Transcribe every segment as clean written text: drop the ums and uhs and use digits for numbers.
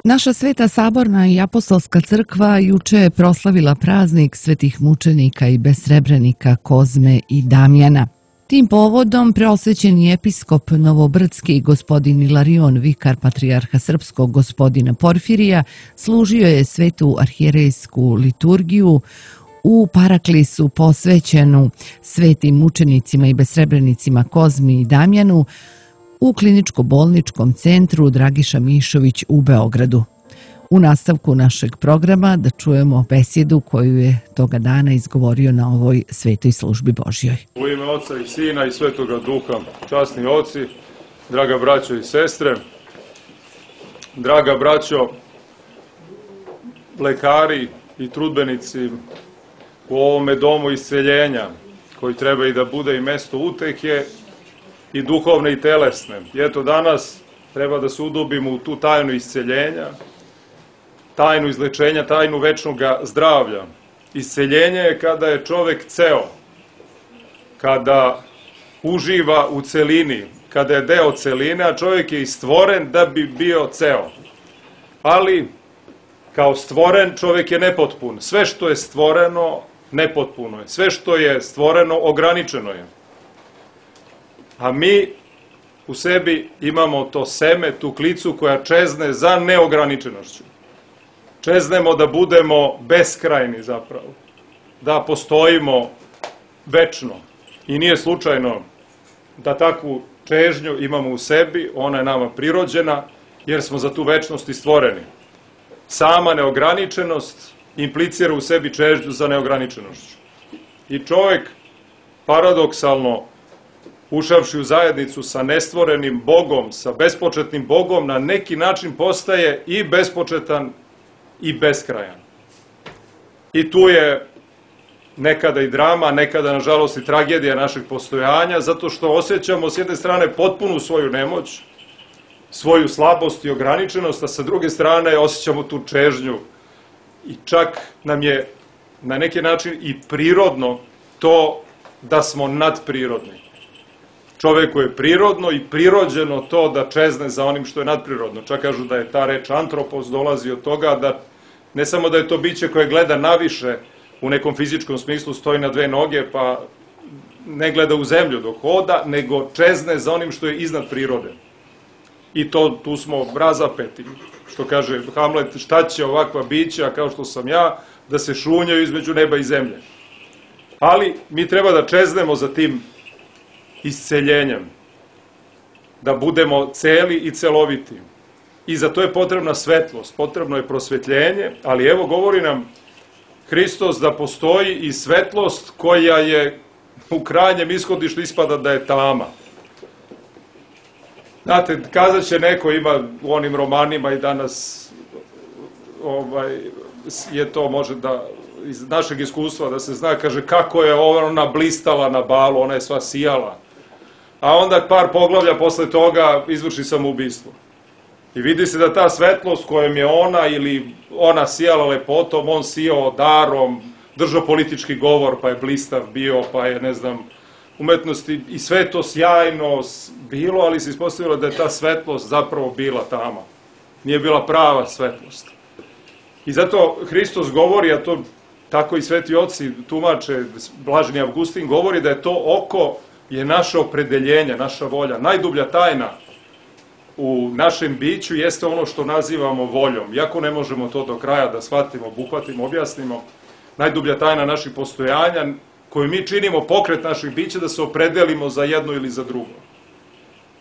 Naša Sveta Saborna i Apostolska crkva juče je proslavila praznik svetih mučenika i besrebrenika Kozme i Damjana. Tim povodom preosvećeni episkop Novobrdski gospodin Ilarion, vikar patrijarha srpskog gospodina Porfirija, služio je svetu arhijerejsku liturgiju u paraklisu posvećenu svetim mučenicima i besrebrenicima Kozmi i Damjanu u kliničko-bolničkom centru Dragiša Mišović u Beogradu. U nastavku našeg programa da čujemo besjedu koju je toga dana izgovorio na ovoj svetoj službi Božjoj. U ime Oca i Sina i Svetoga Duha, časni oci, draga braćo i sestre, draga braćo, lekari i trudbenici u ovome domu isceljenja, koji treba i da bude i mesto utehe i duhovne i telesne. I eto danas treba da se udubimo u tu tajnu isceljenja, tajnu izlečenja, tajnu večnog zdravlja. Isceljenje je kada je čovek ceo, kada uživa u celini, kada je deo celine, a čovjek je i stvoren da bi bio ceo. Ali, kao stvoren, čovjek je nepotpun. Sve što je stvoreno, nepotpuno je. Sve što je stvoreno, ograničeno je. A mi u sebi imamo to seme, tu klicu koja čezne za neograničenošću. Čeznemo da budemo beskrajni zapravo, da postojimo večno. I nije slučajno da takvu čežnju imamo u sebi, ona je nama prirođena, jer smo za tu večnost i stvoreni. Sama neograničenost implicira u sebi čežnju za neograničenošću. I čovjek, paradoksalno, ušavši u zajednicu sa nestvorenim Bogom, sa bespočetnim Bogom, na neki način postaje i bespočetan i beskrajan. I tu je nekada i drama, nekada nažalost i tragedija našeg postojanja, zato što osjećamo s jedne strane potpunu svoju nemoć, svoju slabost i ograničenost, a sa druge strane osjećamo tu čežnju i čak nam je na neki način i prirodno to da smo nadprirodni. Čoveku je prirodno i prirođeno to da čezne za onim što je nadprirodno. Čak kažu da je ta reč antropos dolazi od toga da ne samo da je to biće koje gleda naviše u nekom fizičkom smislu, stoji na dve noge pa ne gleda u zemlju dok hoda, nego čezne za onim što je iznad prirode. I tu smo razapeti. Što kaže Hamlet, šta će ovakva bića kao što sam ja da se šunjaju između neba i zemlje. Ali mi treba da čeznemo za tim isceljenjem, da budemo celi i celoviti. I za to je potrebna svetlost, potrebno je prosvetljenje, ali evo govori nam Hristos da postoji i svetlost koja je u krajnjem ishodištu ispada da je tama. Znate, kazat će neko, ima u onim romanima i danas je to može da iz našeg iskustva da se zna, kaže kako je ona blistala na balu, ona je sva sijala. A onda par poglavlja posle toga izvrši samoubistvo. I vidi se da ta svetlost kojom je ona ili ona sijala lepotom, on sijao darom, držao politički govor pa je blistav bio, pa je ne znam, umetnosti i sve to sjajno bilo, ali se ispostavilo da je ta svetlost zapravo bila tama. Nije bila prava svetlost. I zato Hristos govori, a to tako i sveti oci tumače, Blaženi Avgustin govori da je to oko je naše opredeljenje, naša volja. Najdublja tajna u našem biću jeste ono što nazivamo voljom. Iako ne možemo to do kraja da shvatimo, obuhvatimo, objasnimo, najdublja tajna naših postojanja, koju mi činimo pokret naših bića, da se opredelimo za jedno ili za drugo.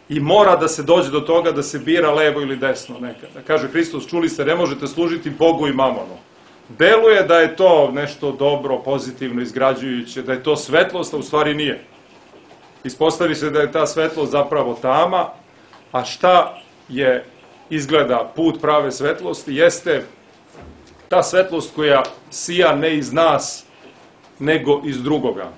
I mora da se dođe do toga da se bira levo ili desno nekada. Kaže Hristos, čuli ste, ne možete služiti Bogu i mamonu. Deluje da je to nešto dobro, pozitivno, izgrađujuće, da je to svetlost, a u stvari nije. Ispostavi se da je ta svetlost zapravo tama, a šta je izgleda put prave svetlosti, jeste ta svetlost koja sija ne iz nas, nego iz drugoga.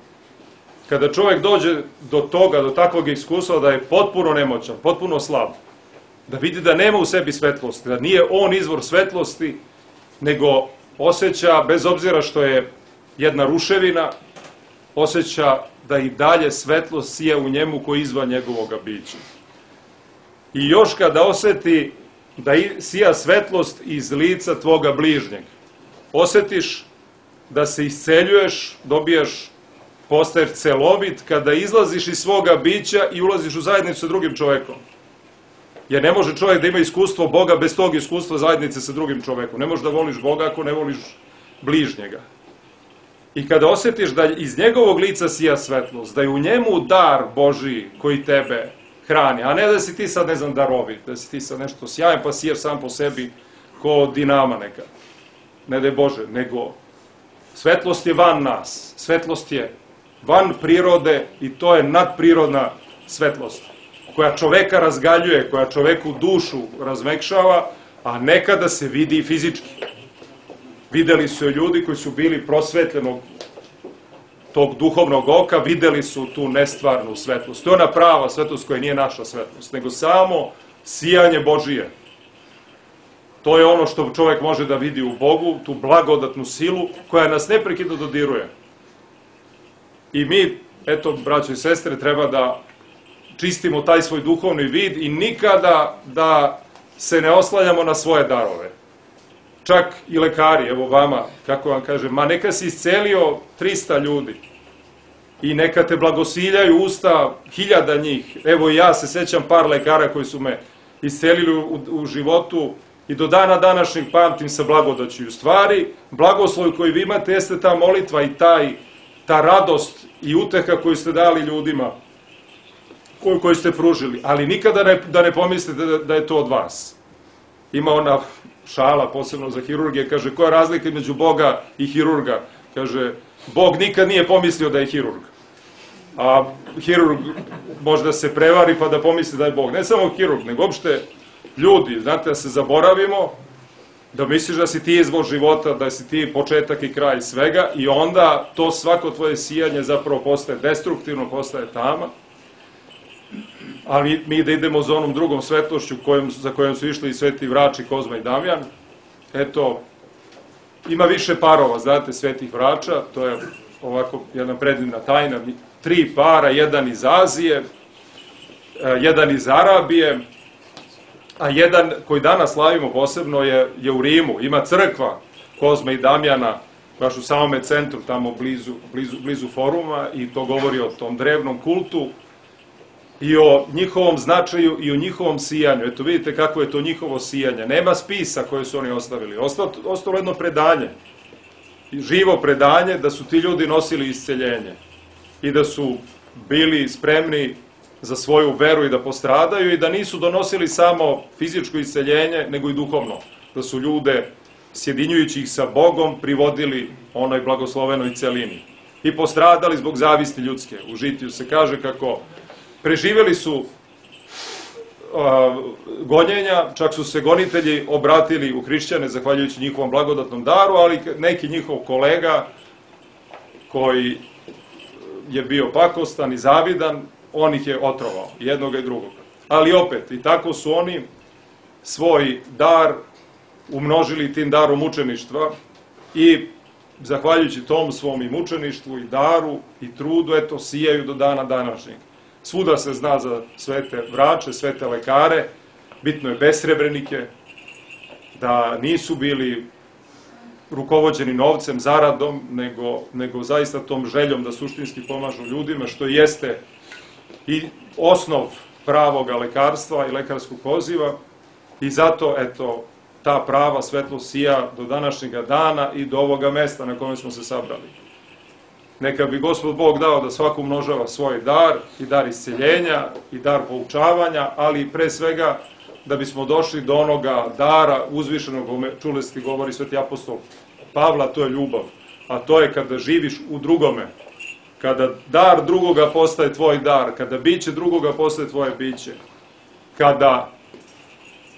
Kada čovjek dođe do toga, do takvog iskustva da je potpuno nemoćan, potpuno slab, da vidi da nema u sebi svetlosti, da nije on izvor svetlosti, nego osjeća, bez obzira što je jedna ruševina, osjeća da i dalje svetlost sija u njemu koji je izvan njegovog bića. I još kada osjeti da sija svetlost iz lica tvoga bližnjeg. Osjetiš da se isceljuješ, dobijaš, postaješ celovit kada izlaziš iz svoga bića i ulaziš u zajednicu sa drugim čovekom. Jer ne može čovjek da ima iskustvo Boga bez tog iskustva zajednice sa drugim čovekom. Ne možeš da voliš Boga ako ne voliš bližnjega. I kada osjetiš da iz njegovog lica sija svetlost, da je u njemu dar Božiji koji tebe hrani, a ne da si ti sad, ne znam, darovit, da si ti sad nešto sjajan pa sijaš sam po sebi ko dinama neka. Ne daj Bože, nego svetlost je van nas, svetlost je van prirode i to je nadprirodna svetlost koja čoveka razgaljuje, koja čoveku dušu razmekšava, a nekada se vidi i fizički. Videli su je ljudi koji su bili prosvetljenog tog duhovnog oka, videli su tu nestvarnu svetlost. To je ona prava svetlost koja nije naša svetlost, nego samo sijanje Božije. To je ono što čovjek može da vidi u Bogu, tu blagodatnu silu koja nas neprekidno dodiruje. I mi, eto, braćo i sestre, treba da čistimo taj svoj duhovni vid i nikada da se ne oslanjamo na svoje darove. Čak i lekari, evo vama, kako vam kažem, ma neka si iscelio 300 ljudi i neka te blagosiljaju usta 1000 njih. Evo i ja se sećam par lekara koji su me iscelili u životu i do dana današnjeg pamtim sa blagodaću. U stvari, blagoslov koji vi imate jeste ta molitva i ta radost i uteha koju ste dali ljudima, koju ste pružili, ali nikada da ne pomislite da je to od vas. Ima ona šala, posebno za hirurgije, kaže, koja je razlika između Boga i hirurga? Kaže, Bog nikad nije pomislio da je hirurg. A hirurg može da se prevari pa da pomisli da je Bog. Ne samo hirurg, nego uopšte ljudi, znate, da se zaboravimo, da misliš da si ti izvor života, da si ti početak i kraj svega i onda to svako tvoje sijanje zapravo postaje destruktivno, postaje tama. Ali mi da idemo za onom drugom svetlošću za kojom su išli i Sveti Vrači, Kozma i Damjan. Eto, ima više parova, znate, svetih vrača, to je ovako jedna predivna tajna. 3 para, jedan iz Azije, jedan iz Arabije, a jedan koji danas slavimo posebno je u Rimu. Ima crkva Kozme i Damjana, baš u samome centru, tamo blizu foruma, i to govori o tom drevnom kultu i o njihovom značaju i o njihovom sijanju. Eto, vidite kako je to njihovo sijanje. Nema spisa koje su oni ostavili. Ostalo jedno predanje, živo predanje, da su ti ljudi nosili isceljenje i da su bili spremni za svoju veru i da postradaju i da nisu donosili samo fizičko isceljenje, nego i duhovno. Da su ljude, sjedinjujući ih sa Bogom, privodili onoj blagoslovenoj celini. I postradali zbog zavisti ljudske. U Žitiju se kaže kako preživjeli su gonjenja, čak su se gonitelji obratili u hrišćane zahvaljujući njihovom blagodatnom daru, ali neki njihov kolega koji je bio pakostan i zavidan, on ih je otrovao, jednoga i drugoga. Ali opet, i tako su oni svoj dar umnožili tim darom mučeništva i zahvaljujući tom svom i mučeništvu i daru i trudu, eto, sijaju do dana današnjeg. Svuda se zna za svete vrače, svete lekare, bitno je besrebrenike, da nisu bili rukovođeni novcem, zaradom, nego zaista tom željom da suštinski pomažu ljudima, što jeste i osnov pravog lekarstva i lekarskog poziva. I zato, eto, ta prava svetlost sija do današnjega dana i do ovoga mesta na kojem smo se sabrali. Neka bi Gospod Bog dao da svako umnožava svoj dar, i dar isceljenja, i dar poučavanja, ali pre svega da bismo došli do onoga dara uzvišenog, čuli ste, govori sveti apostol Pavla, to je ljubav, a to je kada živiš u drugome, kada dar drugoga postaje tvoj dar, kada biće drugoga postaje tvoje biće, kada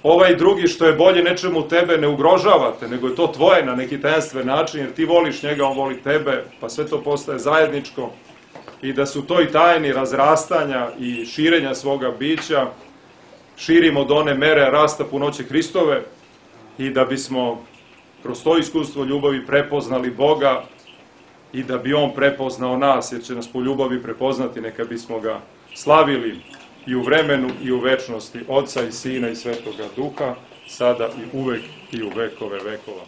ovaj drugi što je bolje nečemu tebe ne ugrožavate, nego je to tvoje na neki tajanstven način, jer ti voliš njega, on voli tebe, pa sve to postaje zajedničko, i da su to i tajni razrastanja i širenja svoga bića širimo do one mere rasta punoće Hristove i da bismo kroz to iskustvo ljubavi prepoznali Boga i da bi On prepoznao nas, jer će nas po ljubavi prepoznati, neka bismo ga slavili i u vremenu i u večnosti, Otca i Sina i Svetoga Duha. sada i uvek i u vekove vekova.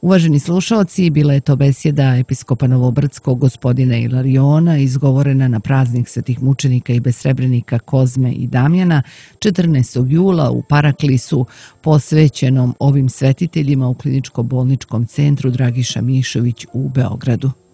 Uvaženi slušaoci, bila je to besjeda episkopa Novobrdskog gospodina Ilariona, izgovorena na praznik svetih mučenika i besrebrenika Kozme i Damjana 14. jula u Paraklisu, posvećenom ovim svetiteljima u Kliničko-bolničkom centru Dragiša Mišović u Beogradu.